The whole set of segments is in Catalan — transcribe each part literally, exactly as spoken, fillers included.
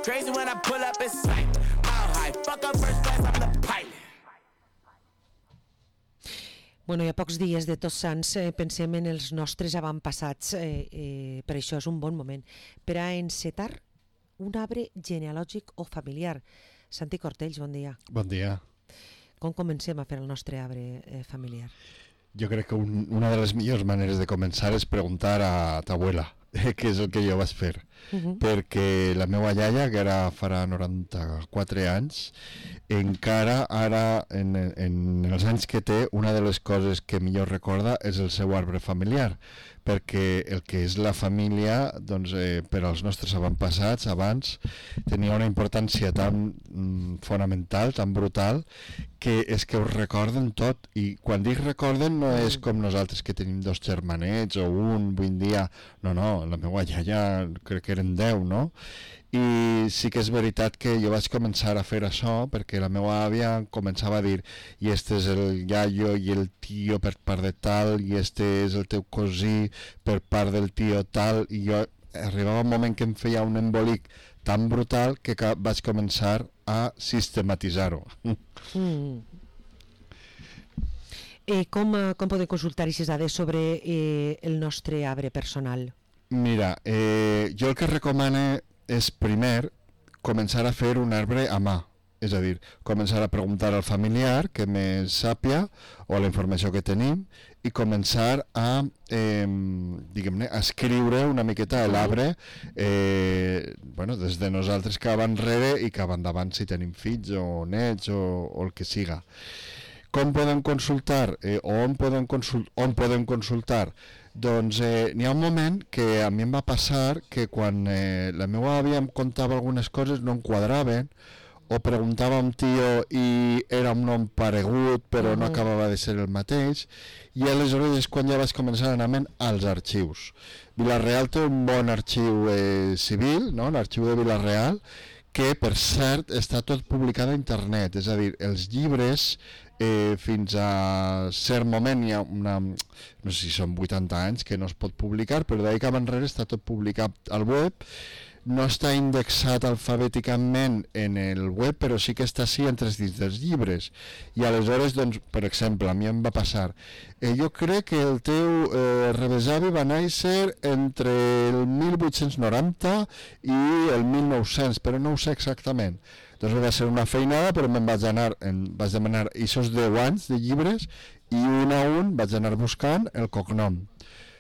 Crazy when I pull up, it's like mile high. Fuck up first class, I'm the pilot. Bueno, i a pocs dies de Tots Sants eh, pensem en els nostres avantpassats, eh, eh, per això és un bon moment per a encetar un arbre genealògic o familiar. Santi Cortells, bon dia. Bon dia. Com comencem a fer el nostre arbre eh, familiar? Jo crec que un, una de les millors maneres de començar és preguntar a ta abuela, que és el que jo vaig fer. Uh-huh. Perquè la meva iaia, que ara farà noranta-quatre anys, encara ara, en, en els anys que té, una de les coses que millor recorda és el seu arbre familiar, perquè el que és la família, doncs, eh, per als nostres avantpassats, abans, tenia una importància tan mm, fonamental, tan brutal, que és que ho recorden tot. I quan dic recorden no és com nosaltres que tenim dos germanets o un, vull dir, no, no, la meva iaia crec que eren deu, no? I sí que és veritat que jo vaig començar a fer això perquè la meva àvia començava a dir i este és el iaio i el tio per part de tal i este és el teu cosí per part del tio tal, i jo arribava un moment que em feia un embolic tan brutal que vaig començar a sistematitzar-ho. Mm. Eh, com, com podem consultar aquestes dades sobre eh, el nostre arbre personal? Mira, eh, jo el que recomano és primer començar a fer un arbre a mà, és a dir, començar a preguntar al familiar que més sàpia o la informació que tenim i començar a, eh, diguem-ne, a escriure una miqueta l'arbre, eh, bueno, des de nosaltres cap enrere i cap endavant si tenim fills o nets o, o el que siga. Com podem consultar? Eh, on, podem consult on podem consultar? Doncs eh, n'hi ha un moment que a mi em va passar que quan eh, la meva àvia em contava algunes coses no em quadraven, o preguntava a un tio i era un nom paregut però no acabava de ser el mateix, i aleshores és quan ja vaig començar a anar als arxius. Vila-real té un bon arxiu eh, civil, no? L'arxiu de Vila-real, que per cert està tot publicat a internet, és a dir, els llibres eh, fins a cert moment hi ha una, no sé si són vuitanta anys que no es pot publicar, però d'ahir cap enrere està tot publicat al web. No està indexat alfabèticament en el web, però sí que està així entre dins dels llibres. I aleshores, doncs, per exemple, a mi em va passar, eh, jo crec que el teu eh, rebesavi va néixer entre el mil vuit-cents noranta i el mil nou-cents, però no ho sé exactament. Doncs va ser una feinada, però me'n vaig anar, en, vaig demanar aquests deu anys de llibres i un a un vaig anar buscant el cognom,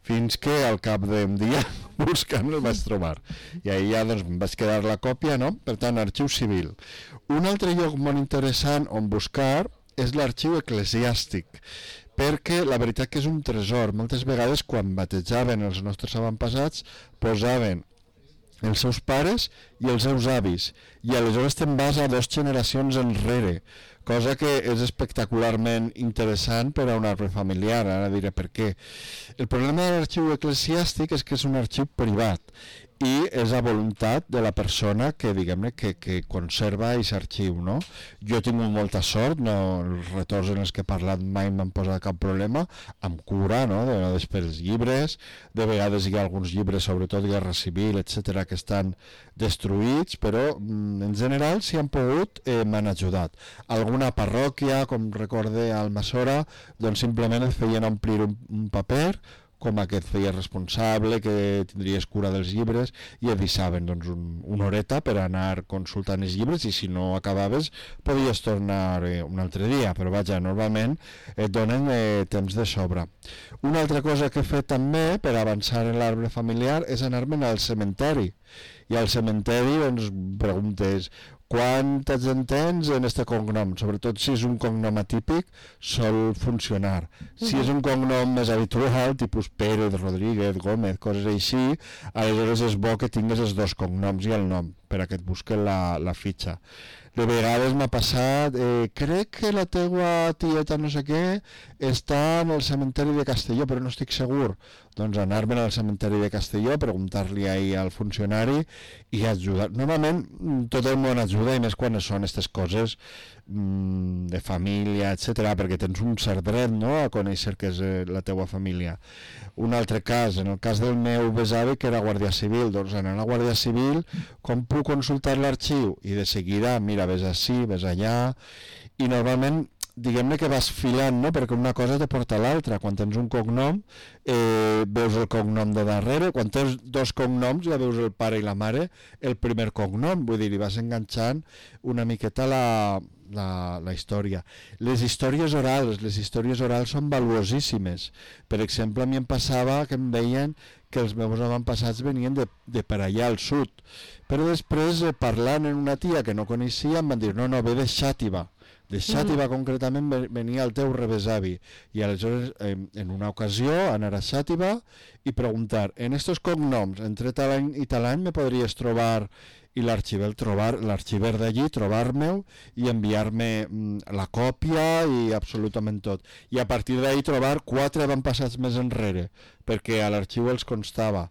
fins que al cap d'un dia buscant el vaig trobar, i ahir ja doncs em vaig quedar la còpia, no? Per tant, arxiu civil. Un altre lloc molt interessant on buscar és l'arxiu eclesiàstic, perquè la veritat que és un tresor. Moltes vegades quan batejaven els nostres avantpassats posaven els seus pares i els seus avis, i aleshores te'n vas a dues generacions enrere, cosa que és espectacularment interessant per a un arbre familiar. Ara diré per què. El problema de l'arxiu eclesiàstic és que és un arxiu privat i és a voluntat de la persona que, diguem-ne, que, que conserva aquest arxiu, no? Jo he tingut molta sort, no, els retorns en els que he parlat mai m'han posat cap problema, amb cura, no? De vegades per els llibres, de vegades hi ha alguns llibres, sobretot Guerra Civil, etcètera, que estan destruïts, però en general, si han pogut, eh, m'han ajudat. Alguna parròquia, com recorde a Almassora, doncs simplement et feien omplir un, un paper, com a que et feia responsable, que tindries cura dels llibres, i et deixaven doncs, un, una horeta per anar consultant els llibres, i si no acabaves podies tornar eh, un altre dia, però vaja, normalment et donen eh, temps de sobre. Una altra cosa que he fet també per avançar en l'arbre familiar és anar-me'n al cementeri, i al cementeri doncs, preguntes quanta gent tens en este cognom, sobretot si és un cognom atípic sol funcionar. Si és un cognom més habitual, tipus Pérez, Rodríguez, Gómez, coses així, aleshores és bo que tingues els dos cognoms i el nom per a que et busquen la, la fitxa. De vegades m'ha passat, eh, crec que la teua tieta no sé què està en el cementeri de Castelló, però no estic segur. Doncs anar-me'n al cementeri de Castelló, preguntar-li ahir al funcionari i ajudar. Normalment tot el món ajuda, i més quan són aquestes coses mmm, de família, etcètera, perquè tens un cert dret, no?, a conèixer que és eh, la teua família. Un altre cas, en el cas del meu besavi, que era guàrdia civil, doncs anant a la guàrdia civil, com puc consultar l'arxiu? I de seguida, mira, ves ací, ves allà, i normalment diguem-ne que vas filant, no?, perquè una cosa te porta a l'altra. Quan tens un cognom, eh, veus el cognom de darrere, quan tens dos cognoms ja veus el pare i la mare, el primer cognom, vull dir, li vas enganxant una miqueta la, la, la història. Les històries orals, les històries orals són valuosíssimes. Per exemple, a mi em passava que em deien que els meus avantpassats venien de, de per allà al sud, però després, eh, parlant amb una tia que no coneixia, em van dir, no, no, ve de Xàtiva. De Xàtiva mm. concretament venia el teu rebesavi, i aleshores en una ocasió anar a Xàtiva i preguntar, en estos cognoms entre tal any i tal any me podries trobar, i l'arxiver trobar l'arxiver d'allí, trobar-me-ho i enviar-me mm, la còpia i absolutament tot, i a partir d'ahir trobar quatre avantpassats més enrere perquè a l'arxiu els constava,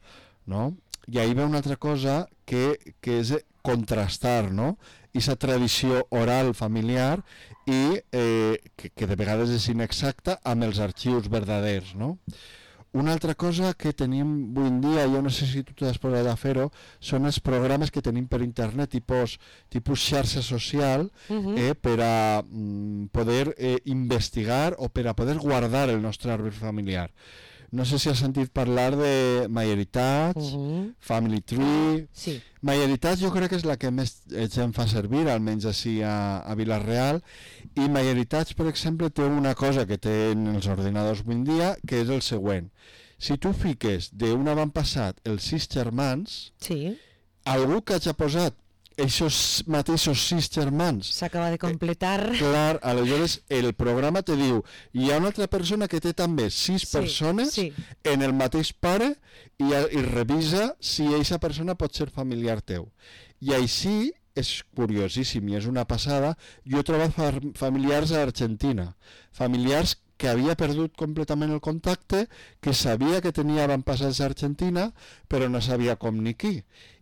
no? I ahir ve una altra cosa que, que és contrastar, no?, aquesta tradició oral familiar i eh, que, que de vegades és inexacta amb els arxius verdaders, no? Una altra cosa que tenim avui en dia, jo no sé si tu t'has posat a fer-ho, són els programes que tenim per internet, tipus, tipus xarxa social, uh-huh. eh, per a mm, poder eh, investigar o per a poder guardar el nostre arbre familiar. No sé si has sentit parlar de MyHeritage, uh-huh. Family Tree... Sí. MyHeritage jo crec que és la que més gent fa servir, almenys així a, a Vila-real, i MyHeritage, per exemple, té una cosa que tenen els ordinadors avui en dia, que és el següent. Si tu fiques d'un avantpassat els sis germans, sí. algú que hagi posat aquests mateixos sis germans s'acaba de completar, eh, clar, aleshores el programa te diu, hi ha una altra persona que té també sis sí, persones sí. en el mateix pare, i, i revisa si aquesta persona pot ser familiar teu, i així és curiosíssim i és una passada. Jo he trobat familiars a Argentina, familiars que havia perdut completament el contacte, que sabia que tenia avantpassats a Argentina, però no sabia com ni qui.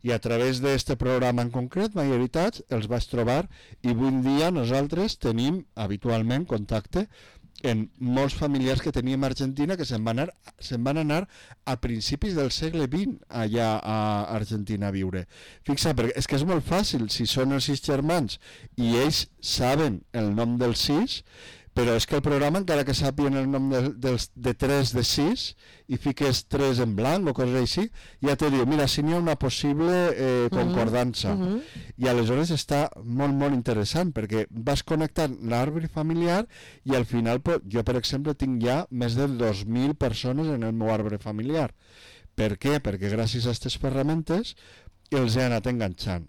I a través d'aquest programa en concret, MyHeritage, els vaig trobar, i avui en dia nosaltres tenim habitualment contacte en molts familiars que teníem a Argentina, que se'n van anar, se'n van anar a principis del segle vint allà a Argentina a viure. Fixa, perquè és que és molt fàcil, si són els sis germans i ells saben el nom dels sis, però és que el programa, encara que sàpien el nom de, de, de tres de sis i fiques tres en blanc o coses així, ja te diu, mira, si n'hi ha una possible eh, concordança. Uh -huh. I aleshores està molt, molt interessant, perquè vas connectant l'arbre familiar i al final, jo per exemple tinc ja més de dos mil persones en el meu arbre familiar. Per què? Perquè gràcies a aquestes ferramentes els he anat enganxant.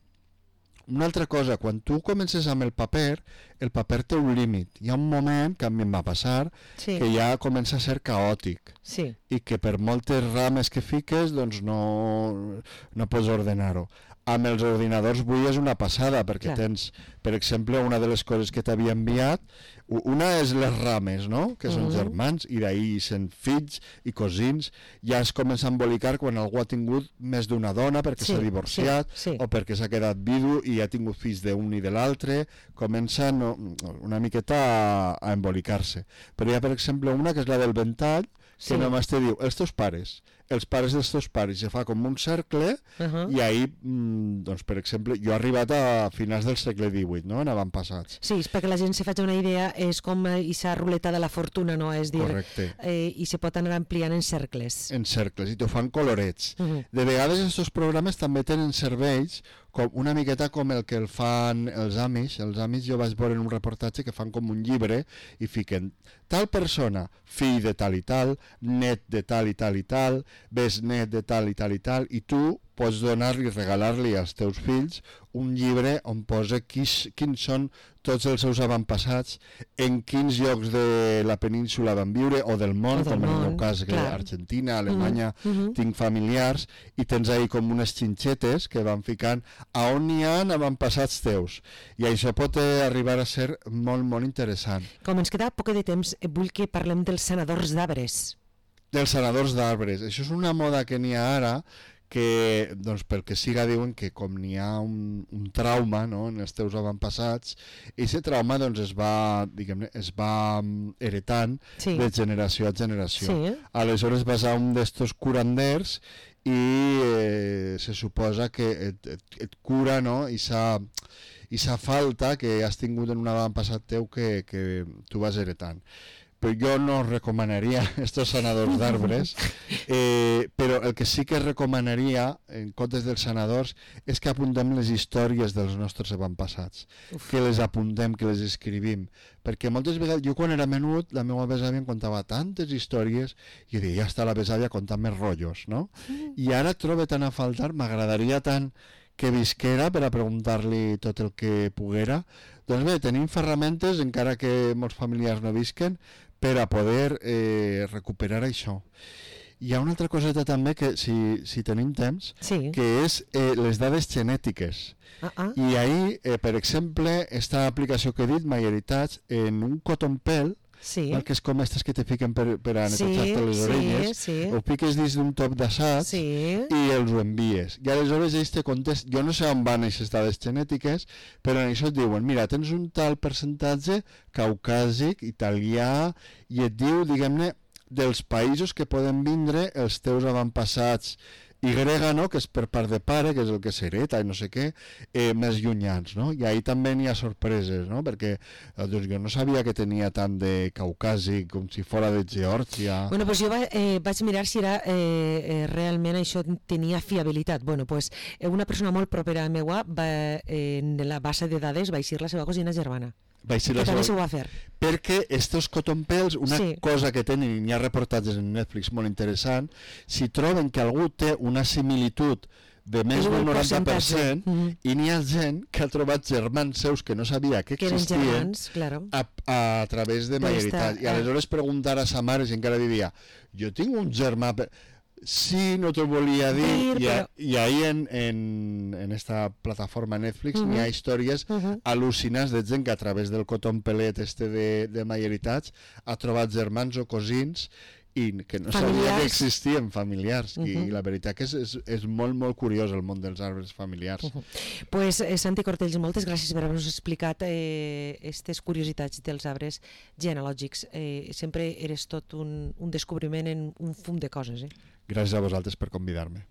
Una altra cosa, quan tu comences amb el paper, el paper té un límit. Hi ha un moment, que a mi em va passar, sí. que ja comença a ser caòtic. Sí. I que per moltes rames que fiques, doncs no, no pots ordenar-ho. Amb els ordinadors avui és una passada, perquè Clar. tens, per exemple, una de les coses que t'havia enviat, una és les rames, no?, que són uh -huh. germans, i d'ahir sent fills i cosins, ja es comença a embolicar quan algú ha tingut més d'una dona perquè s'ha sí, divorciat, sí, sí. o perquè s'ha quedat vidu i ha tingut fills d'un i de l'altre, comença no, una miqueta a, a embolicar-se. Però hi ha, per exemple, una que és la del ventall, que sí. només te diu, els teus pares, els pares dels teus pares, i fa com un cercle, uh -huh. i ahir, doncs, per exemple, jo he arribat a finals del segle divuit, no?, en avantpassats. Sí, és perquè la gent se faci una idea, és com aquesta ruleta de la fortuna, no?, és dir, eh, i se pot anar ampliant en cercles. En cercles, i t'ho fan colorets. Uh -huh. De vegades aquests programes també tenen serveis com una miqueta com el que el fan els Amish. Els Amish jo vaig veure en un reportatge que fan com un llibre i fiquen tal persona, fill de tal i tal, net de tal i tal i tal, besnet de tal i tal i tal, i tu pots donar-li, regalar-li als teus fills un llibre on posa quins, quins són tots els seus avantpassats, en quins llocs de la península van viure, o del món, O del com en el meu món, cas, que clar. Argentina, Alemanya, Mhm, mhm. tinc familiars, i tens ahí com unes xinxetes que van ficant a on n'hi ha avantpassats teus. I això pot eh, arribar a ser molt, molt interessant. Com ens queda poc de temps, eh, vull que parlem dels sanadors d'arbres. Dels sanadors d'arbres. Això és una moda que n'hi ha ara, que, doncs, pel que siga, diuen que com n'hi ha un, un trauma, no?, en els teus avantpassats, i aquest trauma doncs, es va, diguem-ne, es va mm, heretant Sí. de generació a generació. Sí. Aleshores vas a un d'estos curanders i eh, se suposa que et, et, et cura, no?, i s'ha i sa falta que has tingut en un avantpassat teu que, que tu vas heretant. Però jo no recomanaria estos sanadors d'arbres, eh, però el que sí que recomanaria en comptes dels sanadors és que apuntem les històries dels nostres avantpassats, Uf. que les apuntem, que les escrivim, perquè moltes vegades, jo quan era menut, la meva besàvia em contava tantes històries i jo deia, ja està la besàvia contant més rotllos, no? I ara trobo tan a faltar, m'agradaria tant que visquera per a preguntar-li tot el que poguera. Doncs bé, tenim ferramentes, encara que molts familiars no visquen, per a poder eh, recuperar això. Hi ha una altra coseta també que, si, si tenim temps, Sí. que és eh, les dades genètiques. Ah, ah. I ahir, eh, per exemple, esta aplicació que he dit, MyHeritage, en un cotton pel, Sí. que és com aquestes que te fiquen per, per a Sí, netejar-te les sí, orelles, sí. ho piques dins d'un top d'assaig Sí. i els ho envies. I aleshores ells te contest, jo no sé on van aquestes dades genètiques, però en això et diuen, mira, tens un tal percentatge caucàsic, italià, i et diu, diguem-ne, dels països que poden vindre els teus avantpassats Y, no?, que és per part de pare, que és el que s'hereta i no sé què, eh, més llunyans, no? I ahí també n'hi ha sorpreses, no? Perquè eh, doncs jo no sabia que tenia tant de caucàsic com si fora de Geòrgia. Bueno, pues jo va, eh, vaig mirar si era eh, eh, realment això tenia fiabilitat. Bueno, pues eh, una persona molt propera a meua va, eh, en la base de dades va eixir la seva cosina germana. Vaig ser Que la també s'ho seva... va fer. Perquè estos cotton pels, una Sí. cosa que tenen, i n'hi ha reportatges en Netflix molt interessant, si troben que algú té una similitud de més És un del noranta per percentatge. cent, Mhm. i n'hi ha gent que ha trobat germans seus que no sabia que Que eren existien germans, claro. a, a través de MyHeritage. D'esta- I aleshores preguntar a sa mare, si encara diria, jo tinc un germà... Per... Sí, no t'ho volia dir, Dir, i, a, però- i ahí en, en, en esta plataforma Netflix Mhm. n'hi ha històries Mhm. al·lucinants de gent que a través del cotton pelet este de, de MyHeritage ha trobat germans o cosins i que no sabia Familiars. que existien familiars. I, Mhm. I la veritat que és, és, és molt, molt curiós el món dels arbres familiars. Mhm. Pues, eh, Santi Cortells, moltes gràcies per haver-nos explicat aquestes eh, curiositats dels arbres genealògics. Eh, sempre eres tot un, un descobriment en un fum de coses. Eh? Gràcies a vosaltres per convidar-me.